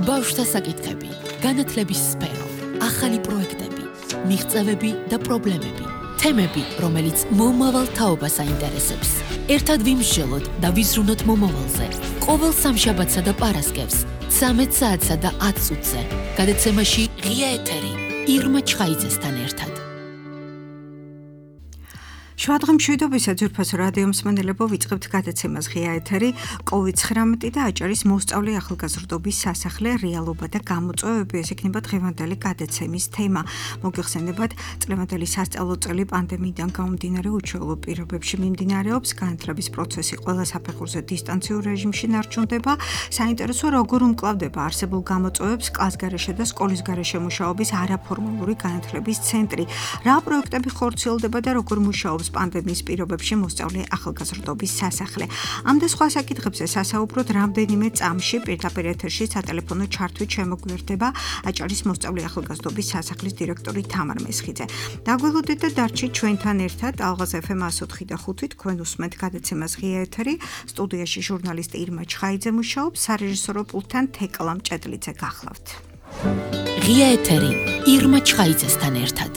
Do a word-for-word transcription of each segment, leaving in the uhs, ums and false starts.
ბავშვთა საკითხები, განათლების სფერო, ახალი პროექტები, მიღწევები და პრობლემები, თემები, რომელიც მომავალ თაობას აინტერესებს. ერთად ვიმსჯელოთ და ვიზრუნოთ მომავალზე. ყოველ სამშაბათსა და პარასკევს, ცამეტ საათსა და ათ წუთზე. გადაცემაში ღია ეთერი, ირმა ჩხაიძესთან ერთად. შუადღე მშვიდობისა ძვირფასო რადიო მსმენელებო, ვიწყებთ გადაცემას ღია ეთერი, კოვიდ ცხრამეტი და აჭარის მოსწავლე ახალგაზრდობის სასახლე, რეალობა და გამოწვევები. ეს იქნება დღევანდელი გადაცემის თემა. მოგეხსენებათ, წლევანდელი სასწავლო წელი პანდემიიდან გამომდინარე უჩვეულო პირობებში მიმდინარეობს, განათლების პროცესი ყველა საფეხურზე დისტანციურ რეჟიმში ნარჩუნდება. საინტერესოა, როგორ უმკლავდება არსებულ გამოწვევებს კლასგარეშე და სკოლის გარეშე მუშაობის არაფორმალური განათლების ცენტრი. რა პროექტები ხორციელდება და როგორ მუშაობს პანდემიის პირობებში მოსწავლე ახალგაზრდობის სასახლე. ამ და სხვა საკითხებზე სასაუბროთ რამდენიმე წამში პირდაპირ ეთერში სატელეფონო ჩართვით შემოგვიერთდება აჭარის მოსწავლე ახალგაზრდობის სასახლის დირექტორი თამარ მესხიძე. დაგველოდეთ და დარჩით ჩვენთან ერთად ალღაზ ეფ ემ εκατო ოთხი და ხუთი, თქვენ უსმენთ გადაცემას ღია ეთერი, სტუდიაში ჟურნალისტი ირმა ჩხაიძე მუშაობს, სარეჟისორო პულტთან თეკლა მჭედლიძე გახლავთ. ღია ეთერი, ირმა ჩხაიძესთან ერთად.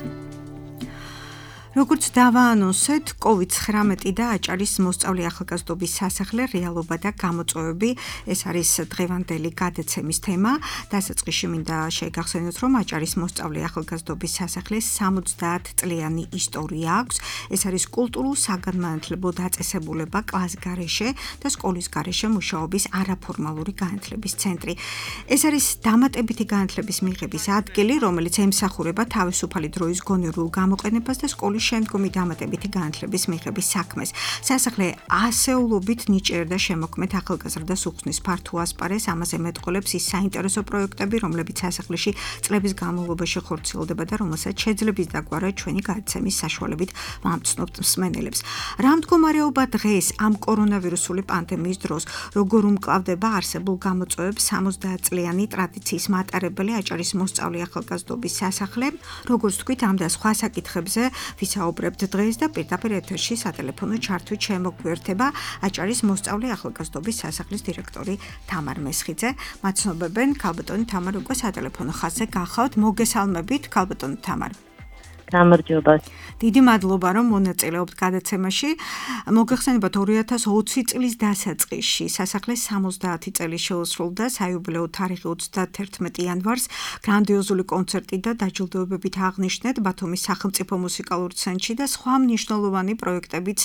როგორც დავაანონსეთ, კოვიდ ცხრამეტი და აჭარის მოსწავლე ახალგაზრდობის სასახლე, რეალობა და გამოწვევები. ეს არის დღევანდელი გადაცემის თემა. დასაწყისში მინდა შეგახსენოთ, რომ აჭარის მოსწავლე ახალგაზრდობის სასახლეს სამოცდაათ წლიანი ისტორია აქვს. ეს არის კულტურულ საგანმანათლებლო დაწესებულება კლასგარეშე და სკოლის გარეშე მუშაობის არაფორმალური განათლების ცენტრი. ეს არის დამატებითი განათლების მიღების ადგილი, რომელიც ემსახურება თავისუფალი დროის გონივრულ გამოყენებას და სკოლის შემდგომი დამატებითი განათლების მიღების საქმეს. სასახლე ასეულობით ნიჭიერდა შემოქმედ ახალგაზრდას უხსნის ფართო ასპარეს, ამაზე მეტყოლებს ის საინტერესო პროექტები, რომლებიც სასახლეში წლების განმავლობაში ხორციელდება და რომელსაც შეძლებს დაგვარა ჩვენი გადაცემის საშუალებით ვამცნობთ მსმენელებს. რა მდგომარეობა დღეს ამ კორონავირუსული პანდემიის დროს, როგორ უმკლავდება არსებულ გამოწვევებს სამოცდაათ წლიანი ტრადიციის მატარებელი აჭარის მოსწავლე ახალგაზრდობის სასახლე, როგორც თქვით, ამ და სხვა საკითხებზე ვისაუბრებთ დღეს და პირდაპირ ეთერში სატელეფონო ჩართვით შემოგვიერთება აჭარის მოსწავლე ახალგაზრდობის სასახლის დირექტორი თამარ მესხიძე. მაცნობებენ ქალბატონი თამარ, უკვე სატელეფონო ხაზზე გახავთ. მოგესალმებით ქალბატონი თამარ. გამარჯობა. დიდი მადლობა, რომ მონაწილეობთ გადაცემაში. მოგეხსენებათ, ორი ათას ოცი წლის დასაწყისში სასახლეს სამოცდაათი წელი შეუსრულდა, საიუბილეო თარიღი ოცდაათი იანვარს გრანდიოზული კონცერტი და დაჯილდოებებით აღნიშნეთ ბათუმის სახელმწიფო მუსიკალურ ცენტრში და სხვა მნიშვნელოვანი პროექტებიც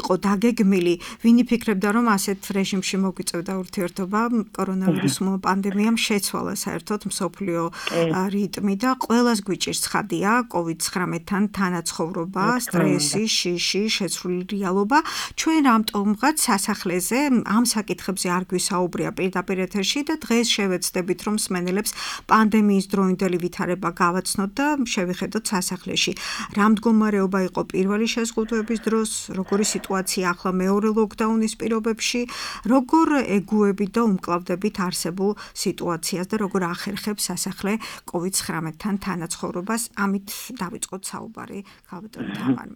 იყო დაგეგმილი. ვინ იფიქრებდა, რომ ასეთ რეჟიმში მოგვიწევდა ურთიერთობა, კორონავირუსმა პანდემიამ შეცვალა საერთოდ მსოფლიო რიტმი და ყველას გვიჭირს ცხადია კოვიდ ცხრამეტთან თანაცხოვრობა, სტრესი, შიში, შეცვლილი რეალობა. ჩვენ რამტომღაც სასახლეზე ამ საკითხებზე არ გვისაუბრია პირდაპირ ეთერში და დღეს შევეცდებით, რომ მსმენელებს პანდემიის დროინდელი ვითარება გავაცნოთ და შევიხედოთ სასახლეში. რა მდგომარეობა იყო პირველი შეზღუდვების დროს, როგორი სიტუაცია ახლა მეორე ლოკდაუნის პირობებში, როგორ ეგუებით და უმკლავდებით არსებულ სიტუაციას და როგორ ახერხებს სასახლე კოვიდ ცხრამეტთან თანაცხოვრობას. ამით დავიწყოთ საუბარი ქალბატონი თამარ.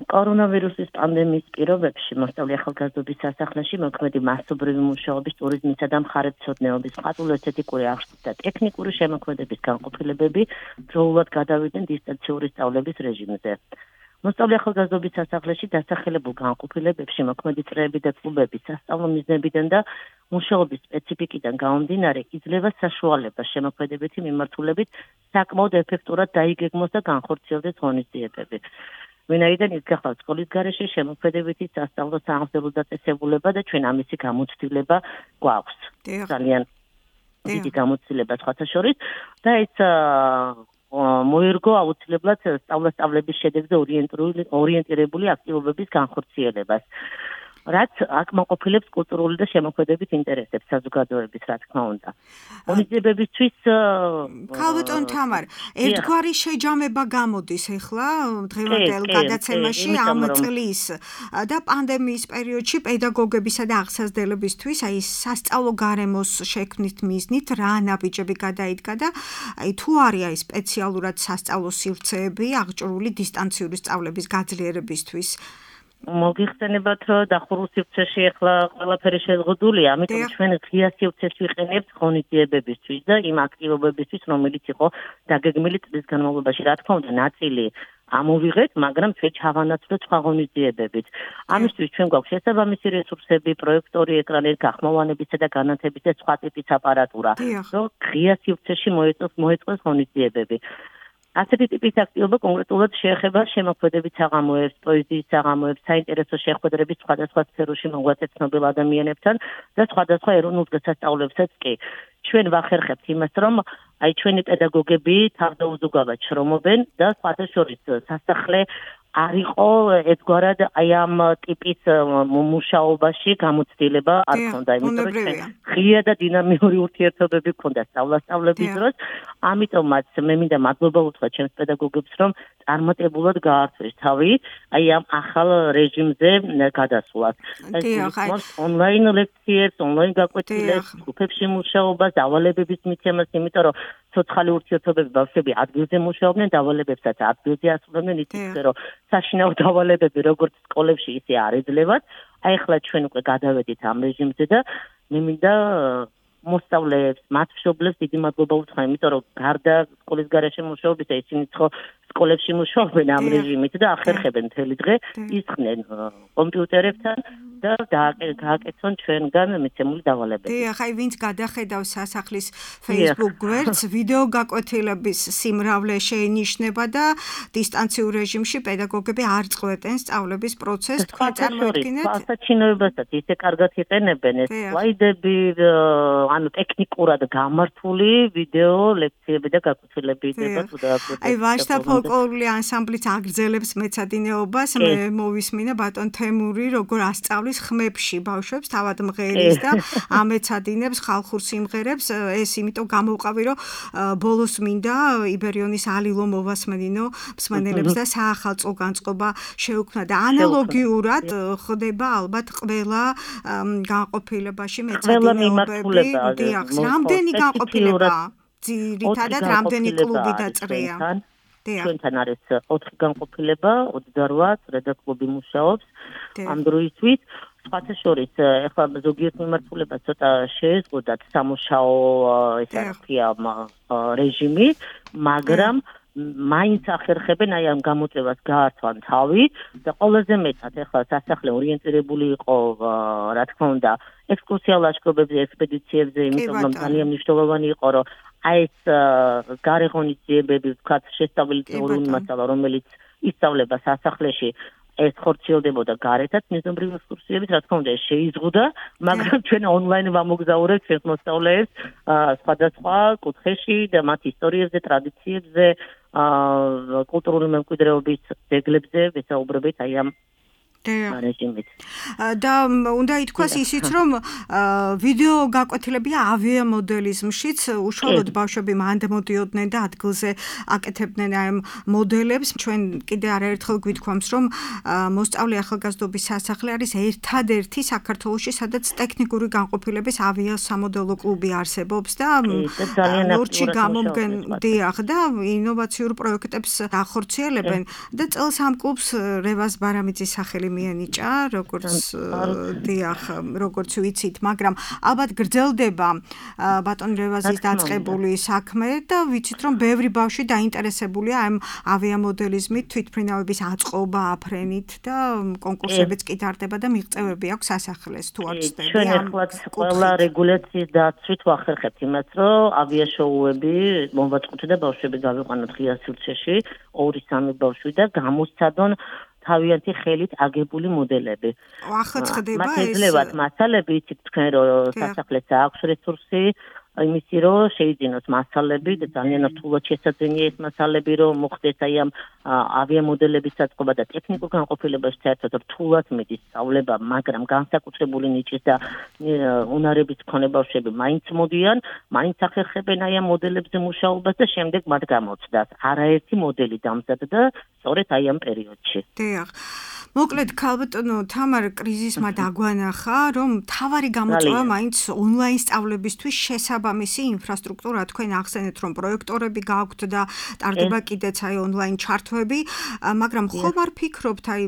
კორონავირუსის პანდემიის პირობებში მოსწავლე ახალგაზრდობის სასახლეში მოქმედი მასობრივი მუშაობის, ტურიზმისა და მხარეთმცოდნეობის, ყატულ ესთეტიკური აღზრდის და ტექნიკური შემოქმედების განყოფილებები დროულად გადავიდნენ დისტანციური სწავლების რეჟიმზე. მოსწავლე ახალგაზრდობის სასახლეში დასახელებულ განყოფილებებში მოქმედი წრეები და კლუბები სასწავლო მიზნებიდან და მუშაობის სპეციფიკიდან გამომდინარე იძლევა საშუალებას შემოქმედებითი მიმართულებით საკმაოდ ეფექტურად დაიგეგმოს და განხორციელდეს ღონისძიებები. ვინაიდან ის გახლავთ სკოლის გარეშე შემოქმედებითი სასწავლო სააღზევრო დაწესებულება და ჩვენ ამისი გამოცდილება გვაქვს. ძალიან დიდი გამოცდილება სხვათა შორის და ეს მოერგო აუცილებლად სწავლა-სწავლების შედეგზე ორიენტირებული აქტივობების განხორციელებას. რაც აკმაყოფილებს კულტურული და შემოქმედებით ინტერესებს საზოგადოების, რა თქმა უნდა. ღონისძიებებისთვის ქალბატონ თამარ, ერთგვარი შეჯამება გამოდის ახლა დღევანდელ გადაცემაში ამ წლის და პანდემიის პერიოდში პედაგოგებისა და აღსაზრდებლებისთვის, აი სასწავლო გარემოს შექმნით მიზნით რა ნაბიჯები გადაიდგა და აი თუ არის აი სპეციალურად სასწავლო სივრცეები აღჭურვილი დისტანციური სწავლების გაძლიერებისთვის. მოგიხსენებათ, რომ დახურულ სივრცეში ახლა ყველაფერი შეზღუდულია, ამიტომ ჩვენ ღია სივრცეს ვიყენებთ ღონისძიებებისთვის და იმ აქტივობებისთვის, რომელიც იყო დაგეგმილი წლის განმავლობაში. რა თქმა უნდა, ნაწილი ამოვიღეთ, მაგრამ ჩვენ ჩავანაცვლოთ სხვა ღონისძიებებით. ამისთვის ჩვენ გვაქვს შესაბამისი რესურსები, პროექტორი, ეკრანები, გახმოვანებისა და განათების და სხვა ტიპის აპარატურა, რომ ღია სივრცეში მოეწყოს ღონისძიებები. ასეთი ტიპის აქტივობა კონკრეტულად შეეხება შემოქმედებით საღამოებს, პოეზიის საღამოებს, საინტერესო შეხვედრების სხვადასხვა სფეროში მოღვაწე ცნობილ ადამიანებთან და სხვადასხვა ეროვნულ დღესასწაულებსაც კი. ჩვენ ვახერხებთ იმას, რომ აი ჩვენი პედაგოგები თავდაუზოგავად შრომობენ და სხვათა შორის სასახლე არ იყო ერთგვარად აი ამ ტიპის მუშაობაში გამოცდილება არ ქონდა, იმიტომ რომ ღია და დინამიური ურთიერთობები ქონდა სწავლა-სწავლების დროს, ამიტომაც მე მინდა მადლობა უთხრა ჩემს პედაგოგებს, რომ წარმატებულად გაართვეს თავი აი ამ ახალ რეჟიმზე გადასვლას. ეს ონლაინ ლექციებს, ონლაინ გაკვეთილებს, ჯგუფებში მუშაობას, დავალებების მიცემას, იმიტომ რომ ცოცხალი ურთიერთობები ბავშვები ადგილზე მუშაობდნენ, დავალებებსაც ადგილზე ასრულებდნენ, იცით რომ საშინაო დავალებები როგორც სკოლებში ისე არ ეძლებათ. აი ახლა ჩვენ უკვე გადავედით ამ რეჟიმზე და მე მინდა მოსწავლეებს, მათ მშობლებს დიდი მადლობა უთხრა, იმიტომ რომ გარდა სკოლის გარეშე მუშაობისა, ისინი ხო სკოლებში მუშაობენ ამ რეჟიმით და ახერხებენ მთელი დღე, ისხნენ კომპიუტერებთან და გააკეთონ ჩვენგან მიცემული დავალებები. დიახ, აი ვინც გადახედავს სასახლის Facebook გვერდს, ვიდეო გაკვეთილების სიმრავლე შეინიშნება და დისტანციურ რეჟიმში პედაგოგები არ წყვეტენ სწავლების პროცესს. თქვენ წარმოიდგინეთ? ასაჩინოებასაც ისე კარგად იყენებენ ეს სლაიდები, ანუ ტექნიკურად გამართული ვიდეო ლექციები და გაკვეთილები იდება თუ დააკვირდეთ. აი ვაჟთა ფოლკლორული ანსამბლიც აგრძელებს მეცადინეობას, მე მოვისმინე ბატონ თემური, როგორ ასწავლის ხმებში ბავშვებს თავად მღერის და ამეცადინებს ხალხურ სიმღერებს. ეს იმიტომ გამოვყავი, რომ ბოლოს მინდა იბერიონის ალილო მოვასმენინო მსმენელებს და საახალწლო განწყობა შეუქმნა და ანალოგიურად ხდება ალბათ ყველა განყოფილებაში მეცადინეობები. დიახ, რამდენი განყოფილება? ძირითადად რამდენი კლუბი დაწყრია? ჩვენთან არის ოთხი განყოფილება, ოცდაოთხ წრედა კლუბი მუშაობს ამ დროისთვის. სხვათა შორის ეხლა ზოგიერთ მიმართულებას ცოტა შეეზღუდათ სამუშაო ეს არქია რეჟიმი, მაგრამ მაინც ახერხებენ აი ამ გამოწვევას გაართვან თავი და ყველაზე მეტად ეხლა სასახლე ორიენტირებული იყო რა თქმა უნდა ექსკურსია ლაშქრობებზე, ექსპედიციებზე, იმიტომ რომ ძალიან მნიშვნელოვანი იყო რომ აი ეს გარეღონისძიებები ვთქვათ შესწავლილი თეორიული მასალა რომელიც ისწავლება სასახლეში ეს ხორციელდებოდა გარეთაც მეზობრივი ექსკურსიებით, რა თქმა უნდა ეს შეიზღუდა, მაგრამ ჩვენ ონლაინ ვამოგზაურებთ ჩვენს მოსწავლეებს სხვადასხვა კუთხეში და მათ ისტორიებზე, ტრადიციებზე, კულტურული მემკვიდრეობის ძეგლებზე ვესაუბრებით აი ამ რეჟიმით. და უნდა ითქვას ისიც, რომ ვიდეო გაკვეთილები ავია მოდელიზმშიც უშუალოდ ბავშვები მანდ მოდიოდნენ და ადგილზე აკეთებდნენ ამ მოდელებს. ჩვენ კიდე არაერთხელ გვითქვამს, რომ მოსწავლე ახალგაზრდობის სასახლე არის ერთადერთი საქართველოში, სადაც ტექნიკური განყოფილების ავია სამოდელო კლუბი არსებობს და ნორჩი გამომგენ დიახ და ინოვაციურ პროექტებს ახორციელებენ და წელს ამ კლუბს რევაზ ბარამიძის სახელი მიანიჭა, როგორც დიახ, როგორც ვიცით, მაგრამ ალბათ გრძელდება ბატონ რევაზის დაწყებული საქმე და ვიცით, რომ ბევრი ბავშვი დაინტერესებულია ამ ავიამოდელიზმით, თვითმფრინავების აწყობა, აფრენით და კონკურსებიც კი ტარდება და მიღწევები აქვს სასახლეს თუ არ ვცდები. ჩვენ ეხლაც ყველა რეგულაციის დაცვით ვახერხებთ იმას, რომ ავიაშოუები მოვაწყოთ და ბავშვები გავიყვანოთ ღია სივრცეში, ორი სამი ბავშვი და გამოსცადონ თავიანთი ხელით აგებული მოდელები. ახლა ხდება ეს? მათ ეძლებათ მასალები, იცით თქვენ რომ სასახლეს აქვს რესურსი, იმისი რომ შეიძინოს მასალები და ძალიან რთულად შესაძენია ეს მასალები რომ მოხდეს აი ამ ავიამოდელების საწყობა და ტექნიკურ განყოფილებაში საერთოდ რთულად მიდის სწავლება, მაგრამ განსაკუთრებული ნიჭის და უნარების მქონე ბავშვები მაინც მოდიან, მაინც ახერხებენ აი ამ მოდელებზე მუშაობას და შემდეგ მათ გამოცდას. არაერთი მოდელი დამზადდა სწორედ აი ამ პერიოდში. დიახ. მოკლედ ქალბატონო თამარ კრიზისმა დაგვანახა, რომ თავარი გამოწვევა მაინც ონლაინ სწავლებისთვის შესაბამისი შესაბამისი ინფრასტრუქტურა თქვენ ახსენეთ რომ პროექტორები გაქვთ და ტარდება კიდეც აი ონლაინ ჩართვები, მაგრამ ხომ არ ფიქრობთ აი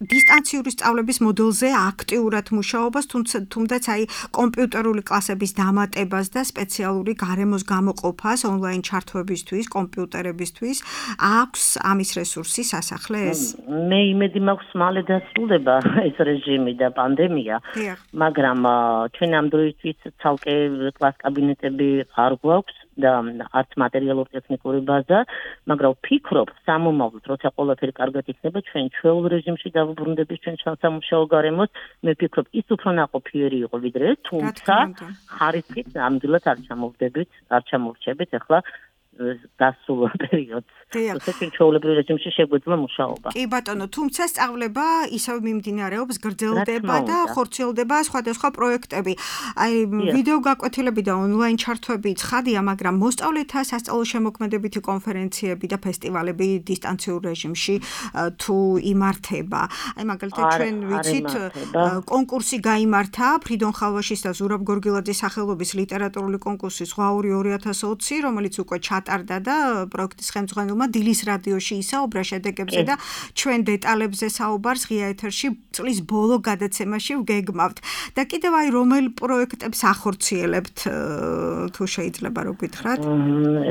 დისტანციური სწავლების მოდელზე აქტიურად მუშაობას, თუმცა აი კომპიუტერული კლასების დამატებას და სპეციალური გარემოს გამოყოფას ონლაინ ჩართვებისთვის, კომპიუტერებისთვის აქვს ამის რესურსი სასახლეს? მე იმედი მაქვს მალე დასრულდება ეს რეჟიმი და პანდემია, მაგრამ ჩვენ ამ დროისთვის ცალკე კლას კაბინეტები არ გვაქვს და არც მატერიალურ-ტექნიკური ბაზა, მაგრამ ვფიქრობ, სამომავლოდ, როცა ყველაფერი კარგად იქნება, ჩვენ ჩვეულ რეჟიმში დავუბრუნდებით ჩვენ სამუშაო გარემოს, მე ვფიქრობ, ის უფრო ნაყოფიერი იყო ვიდრე ეს, თუმცა ხარისხით ნამდვილად არ ჩამოვდებით, არ ჩამოვრჩებით ახლა დასულ პერიოდს. თუმცა ჩვეულებრივ რეჟიმში შეგვეძლო მუშაობა. კი ბატონო, თუმცა სწავლება ისევ მიმდინარეობს, გრძელდება და ხორციელდება სხვადასხვა პროექტები. აი ვიდეო გაკვეთილები და ონლაინ ჩართვები ცხადია, მაგრამ მოსწავლეთა სასწავლო შემოქმედებითი კონფერენციები და ფესტივალები დისტანციურ რეჟიმში თუ იმართება. აი მაგალითად ჩვენ ვიცით კონკურსი გაიმართა ფრიდონ ხალვაშის და ზურაბ გორგილაძის სახელობის ლიტერატურული კონკურსი ზღვაური ორი ათას ოცი, რომელიც უკვე ჩატარდა და პროექტის ხელმძღვანელმა დილის რადიოში ისაუბრა შედეგებზე და ჩვენ დეტალებზე საუბარს ღია ეთერში წლის ბოლო გადაცემაში ვგეგმავთ. და კიდევ აი რომელ პროექტებს ახორციელებთ თუ შეიძლება რო გითხრათ?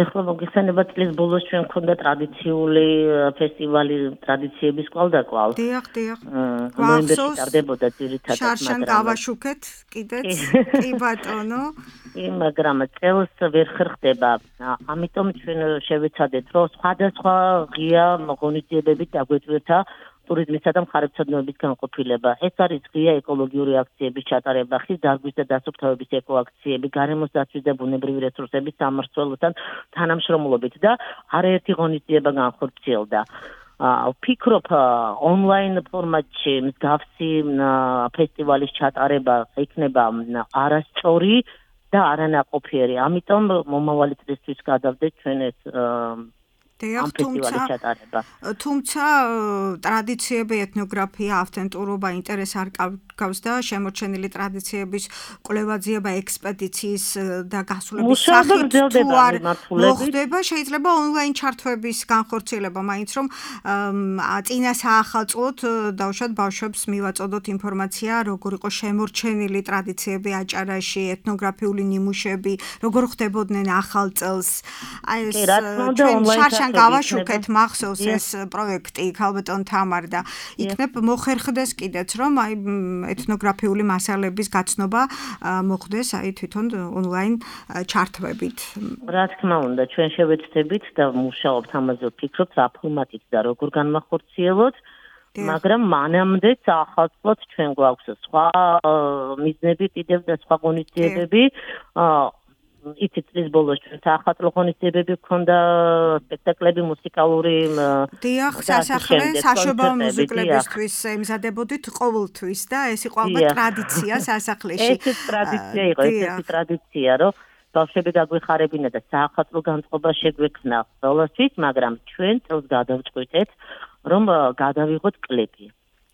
ეხლა მოგესალმება წლის ბოლოს ჩვენ გვქონდა ტრადიციული ფესტივალი ტრადიციების კვალდაკვალ. დიახ, დიახ. ნოემბერში ტარდებოდა ძირითადად, შარშან გავაშუქეთ კიდეც. კი ბატონო. კი, მაგრამ წელს ვერ ხერხდება. ამიტომ ჩვენ შევეცადეთ, რომ სხვადასხვა ღია ღონისძიებებით დაგვეწვეთა ტურიზმისა და მხარეთმცოდნეობის განყოფილება. ეს არის ღია ეკოლოგიური აქციების ჩატარება, ხის დარგვის და დასუფთავების ეკოაქციები, გარემოს დაცვის და ბუნებრივი რესურსების სამმართველოსთან თანამშრომლობით და არაერთი ღონისძიება განხორციელდა. ვფიქრობ, ონლაინ ფორმატში მსგავსი ფესტივალის ჩატარება იქნება არასწორი და არანაყოფიერი. ამიტომ მომავალი წლისთვის გადავდეთ ჩვენ ეს ამ ფესტივალის ჩატარება. თუმცა ტრადიციები, ეთნოგრაფია, ავთენტურობა ინტერესს არ გავს და შემორჩენილი ტრადიციების კვლევაძიება, ექსპედიციის და გასულების სახით თუ არ მოხდება, შეიძლება ონლაინ ჩართვების განხორციელება, მაინც რომ წინა საახალწლოდ დავუშვათ ბავშვებს მივაწოდოთ ინფორმაცია, როგორ იყო შემორჩენილი ტრადიციები აჭარაში, ეთნოგრაფიული ნიმუშები, როგორ ხდებოდნენ ახალ წელს. აი ეს ჩვენ შარშან გავაშუქეთ მახსოვს ეს პროექტი ქალბატონ თამარ და იქნებ მოხერხდეს კიდეც რომ აი ეთნოგრაფიული მასალების გაცნობა მოხდეს აი თვითონ ონლაინ ჩართვებით. რა თქმა უნდა, ჩვენ შევეცდებით და მუშაობთ ამაზე, ვფიქრობთ რა ფორმატით და როგორ განმახორციელოთ, მაგრამ მანამდე ახალწლად ჩვენ გვაქვს სხვა მიზნები კიდევ და სხვა ღონისძიებები. იცით წლის ბოლოს ჩვენ საახალწლო ღონისძიებები გქონდა, სპექტაკლები, მუსიკალური დიახ, სასახლე საშობაო მუსიკლებისთვის ემზადებოდით ყოველთვის და ეს იყო ალბათ ტრადიცია სასახლეში. ეს ტრადიცია იყო, ეს ტრადიცია, რომ ბავშვები გაგვეხარებინა და საახალწლო განწყობა შეგვექმნა ყველასთვის, მაგრამ ჩვენ წელს გადავწყვიტეთ, რომ გადავიღოთ კლიპი.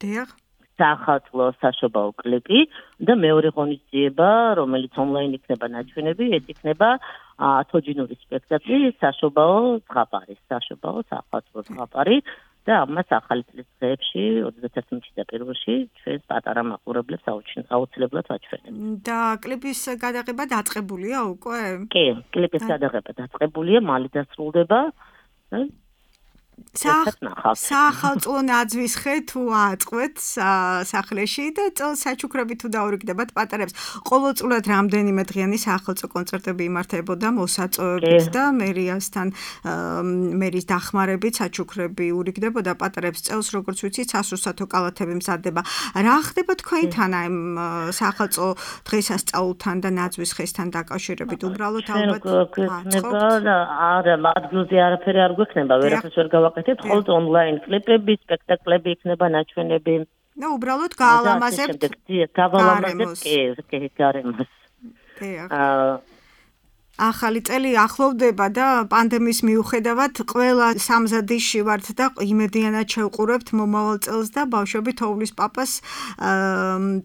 დიახ. საახალწლო საშობაო კლიპი და მეორე ღონისძიება, რომელიც ონლაინ იქნება ნაჩვენები, ეს იქნება თოჯინური სპექტაკლი საშობაო ზღაპარი, საშობაო საახალწლო ზღაპარი და ამას ახალი წლის დღეებში, ოცდაათი წლის და პირველში ჩვენ პატარა მაყურებლებს აუცილებლად ვაჩვენებთ. და კლიპის გადაღება დაწყებულია უკვე? კი, კლიპის გადაღება დაწყებულია, მალე დასრულდება. საახალწლო ნაძვის ხე თუ ააწყვეთ სახლეში და წელს საჩუქრები თუ დაურიგდებათ პატარებს. ყოველწლიურად რამდენიმე დღიანი საახალწლო კონცერტები იმართებოდა მოსაწვევებით და მერიასთან მერის დახმარებით საჩუქრები ურიგდებოდა პატარებს. წელს როგორც ვიცით, სასურსათო კალათები მზადდება. რა ხდება თქვენთან აი საახალწლო დღესასწაულთან და ნაძვის ხესთან დაკავშირებით? უბრალოდ ალბათ არა, ადგილზე არაფერი არ გვექნება, ვერაფერს ვერ გავაკეთებთ, ხოლმე ონლაინ კლიპები, სპექტაკლები იქნება ნაჩვენები. და უბრალოდ გაალამაზებთ გავალამაზებთ კი გარემოს. ახალი წელი ახლოვდება და პანდემიის მიუხედავად ყველა სამზადისში ვართ და იმედიანად შევყურებთ მომავალ წელს და ბავშვები თოვლის პაპას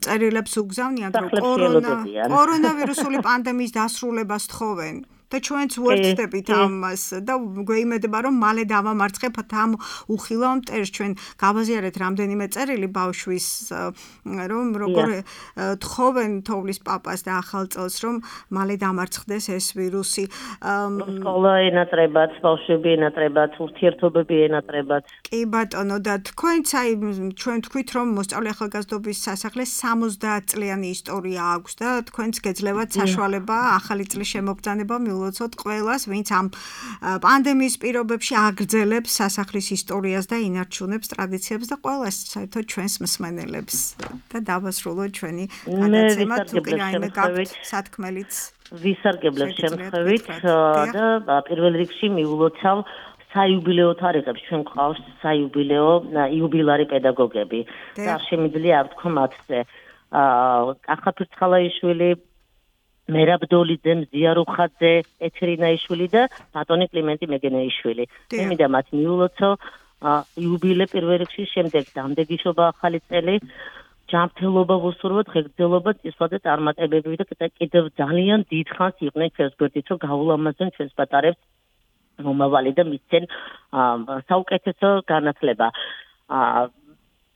წერილებს უგზავნიან, რომ კორონა კორონავირუსული პანდემიის დასრულებას თხოვენ. და ჩვენც ვუერთდებით ამას და გვეიმედება რომ მალე დავამარცხებთ ამ უხილავ მტერს ჩვენ გავაზიარეთ რამდენიმე წერილი ბავშვის რომ როგორ თხოვენ თოვლის პაპას და ახალ წელს რომ მალე დამარცხდეს ეს ვირუსი სკოლა ენატრებათ ბავშვები ენატრებათ ურთიერთობები ენატრებათ კი ბატონო და თქვენც აი ჩვენ თქვით რომ მოსწავლე ახალგაზრდობის სასახლეს სამოცდაათ წლიანი ისტორია აქვს და თქვენც გეძლევათ საშუალება ახალი წლის შემოგზანება ლოცოთ ყველას, ვინც ამ პანდემიის პირობებში აგრძელებს სასახლის ისტორიას და ინარჩუნებს ტრადიციებს და ყველას საერთოდ ჩვენს მსმენელებს და დავასრულოთ ჩვენი გადაცემა თუ კი რაიმე გაქვთ სათქმელიც ვისარგებლებ შემთხვევით და პირველ რიგში მიულოცავ საიუბილეო თარიღებს ჩვენ გვყავს საიუბილეო იუბილარი პედაგოგები და არ შემიძლია არ ვთქვა მათზე კახა ფირცხალაიშვილი მერაბ დოლიძე, მზია რუხაძე, ეთრინაიშვილი და ბატონი კლიმენტი მეგენეიშვილი. მე მინდა მათ მიულოცო იუბილე პირველ რიგში, შემდეგ დამდეგიშობა ახალი წელი, ჯანმრთელობა ვუსურვოთ, ღირსეულობა, წისვლა და წარმატებები და კიდევ ძალიან დიდ ხანს იყვნენ ჩვენს გვერდით, რომ გაულამაზონ ჩვენს პატარებს მომავალი და მისცენ საუკეთესო განათლება.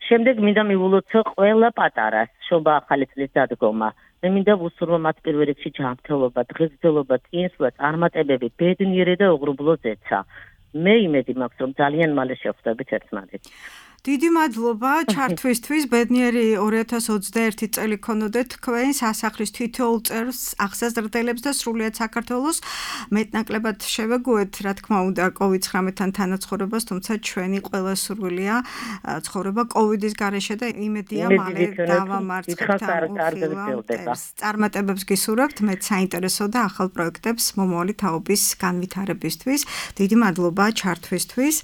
შემდეგ მინდა მიულოცო ყველა პატარას, შობა ახალი წლის დადგომა. მე მინდა ვუსურვო მათ პირველ რიგში ჯანმრთელობა, ღირსეულობა, წინსვლა, წარმატებები, ბედნიერი და უღრუბლო ზეცა. მე იმედი მაქვს, რომ ძალიან მალე შევხვდებით ერთმანეთს. დიდი მადლობა ჩართვისთვის. ბედნიერი ორი ათას ოცდაერთი წელი ქონოდეთ თქვენ სასახლის თითოეულ წევრს აღსაზრდელებს და სრულიად საქართველოს მეტნაკლებად შევეგუეთ, რა თქმა უნდა, კოვიდ ცხრამეტთან თანაცხოვრებას, თუმცა ჩვენი ყველა სურვილია ცხოვრება კოვიდის გარეშე და იმედია მალე დავამარცხებთ ამ უხილავ წარმატებებს გისურვებთ, მეც საინტერესო და ახალ პროექტებს მომავალი თაობის განვითარებისთვის. დიდი მადლობა ჩართვისთვის.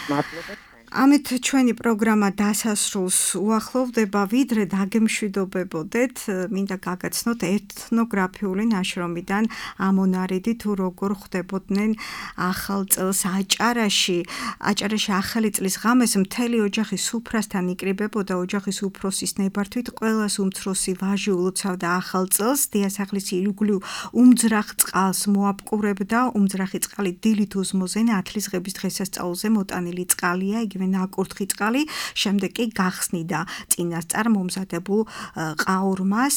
მადლობა. ამით ჩვენი პროგრამა დასასრულს უახლოვდება, ვიდრე დაგემშვიდობებოდეთ, მინდა გაგაცნოთ ეთნოგრაფიული ნაშრომიდან ამონარიდი თუ როგორ ხვდებოდნენ ახალ წელს აჭარაში. აჭარაში ახალი წლის ღამეს მთელი ოჯახი სუფრასთან იკრიბებოდა, ოჯახის უფროსის ნებართვით ყველას უმცროსი ვაჟი ულოცავდა ახალ წელს, დიასახლის ირგვლივ უმძრახ წყალს მოაპყურებდა, უმძრახი წყალი დილით უსმოზე ნათლისღების დღესასწაულზე მოტანილი წყალია, იგი ნაკურთხი წყალი, შემდეგ კი გახსნიდა წინასწარ მომზადებულ ყაურმას.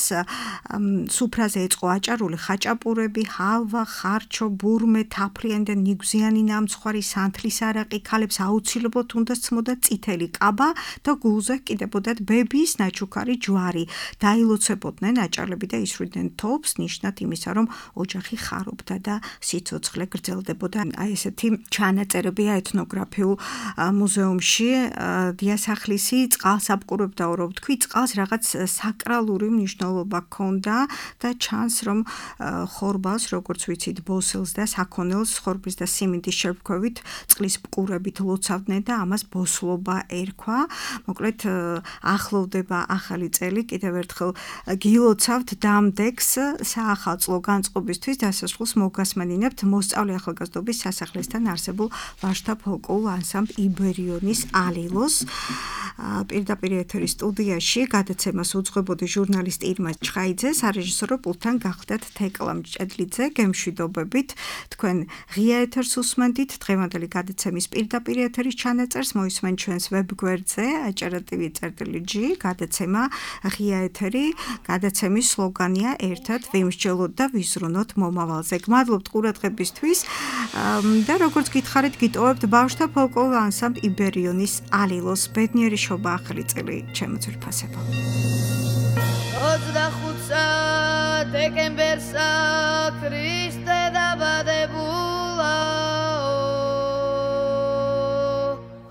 სუფრაზე ეწყო აჭარული ხაჭაპურები, ჰალვა, ხარჩო, ბურმე, თაფლიანი და ნიგვზიანი ნამცხვარი, სანთლის არაყი, ქალებს აუცილებლად უნდა სცმოდა წითელი კაბა და გულზე ჰკიდებოდათ ბებიის ნაჩუქარი ჯვარი. დაილოცებოდნენ აჭარლები და ისვრიდნენ თოფს, ნიშნად იმისა, რომ ოჯახი ხარობდა და სიცოცხლე გრძელდებოდა. აი ესეთი ჩანაწერებია ეთნოგრაფიულ მუზეუმში. დიასახლისი წყალს აპყურებდა, რო ვთქვი, წყალს რაღაც საკრალური მნიშვნელობა ჰქონდა და ჩანს, რომ ხორბალს, როგორც ვიცით, ბოსელს და საქონელს ხორბლის და სიმინდის შეფქვევით წყლის პყურებით ლოცავდნენ და ამას ბოსლობა ერქვა. მოკლედ ახლოვდება ახალი წელი, კიდევ ერთხელ გილოცავთ დამდეგს საახალწლო განწყობისთვის დასასრულს მოგასმენინებთ მოსწავლე ახალგაზრდობის სასახლესთან არსებულ ვაჟთა ფოლკლორულ ანსამბლ იბერიონის ალილოს. პირდაპირ ეთერის სტუდიაში გადაცემას უძღვებოდი ჟურნალისტი ირმა ჩხაიძე, სარეჟისორო პულტთან გახდათ თეკლა მჭედლიძე. გემშვიდობებით, თქვენ ღია ეთერს უსმენდით. დღევანდელი გადაცემის პირდაპირ ეთერის ჩანაწერს მოისმენ ჩვენს ვებგვერდზე აჭარა ტივი წერტილი ჯი. გადაცემა ღია ეთერი. გადაცემის სლოგანია ერთად ვიმსჯელოთ და ვიზრუნოთ მომავალზე. გმადლობთ ყურადღებისთვის და როგორც გითხარით, გიტოვებთ ბავშვთა ფოლკლორულ ანსამბლ იბერიონის ალილოს. ბედნიერი შობა ახალი წელი ჩემო ძვირფასებო. ოცდახუთსა დეკემბერსა ქრისტე დაბადებულა.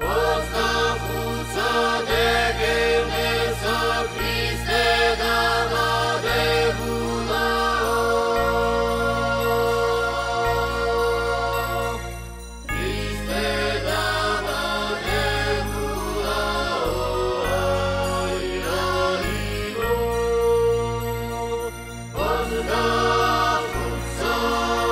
ოცდახუთსა დეკემბერსა ქრისტე დაბადებულა. Oh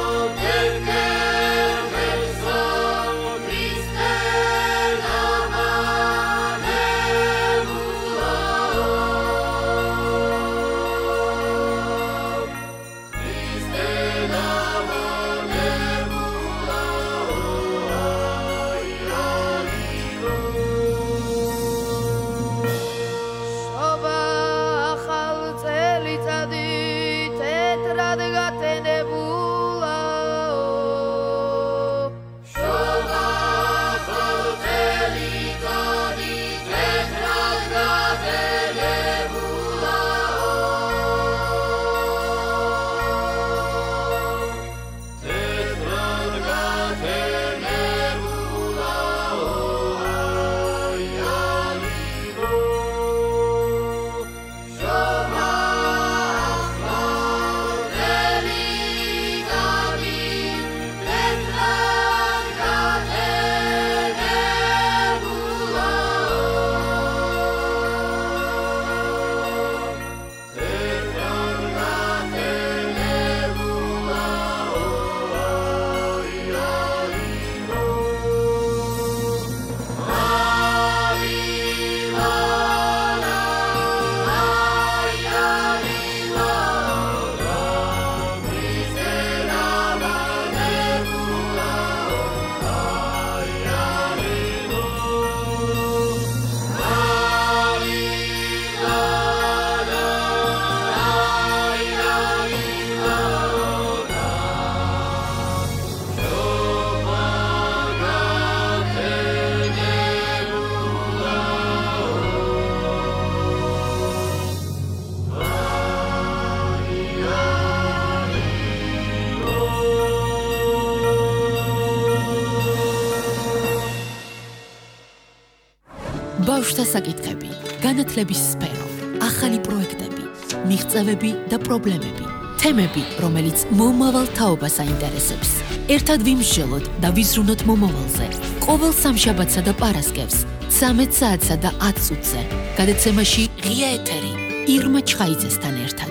ბავშვთა საკითხები, განათლების სფერო, ახალი პროექტები, მიღწევები და პრობლემები, თემები, რომელიც მომავალ თაობას აინტერესებს. ერთად ვიმსჯელოთ და ვიზრუნოთ მომავალზე. ყოველ სამშაბათსა და პარასკევს, ცამეტ საათსა და ათ წუთზე. გადაცემაში ღია ეთერი ირმა ჩხაიძესთან ერთად.